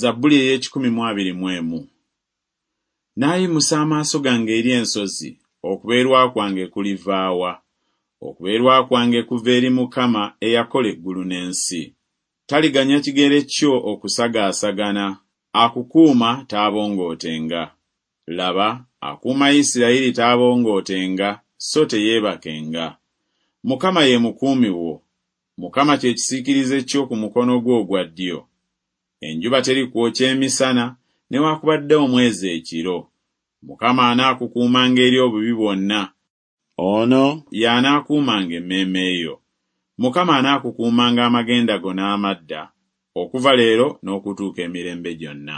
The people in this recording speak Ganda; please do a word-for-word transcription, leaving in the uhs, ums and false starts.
Zabbuli ey'ekikumi mu abiri mu emu. Naayimusa amaaso gange eri ensozi, okubeerwa kwange kuliva wa? Okubeerwa kwange kuva eri Mukama eyakola eggulu n'ensi. Taliganya kigere kyo okusagaasagana, akukuuma taabongootenga. Laba, akuuma Isirayiri taabongootenga so teyeebakenga. Mukama ye mukuumi wo, Mukama kye kisiikirize kyo ku mukono gwo ogwa ddyo. Enjuba terikwokya emisana, newaakubadde omwezi ekiro. Mukama anaakukuumanga eri obubi bwonna, ono y'anaakuumanga emmeeme yo. Mukama anaakukuumanga amagenda go n'amadda, okuva leero n'okutuuka emirembe gyonna.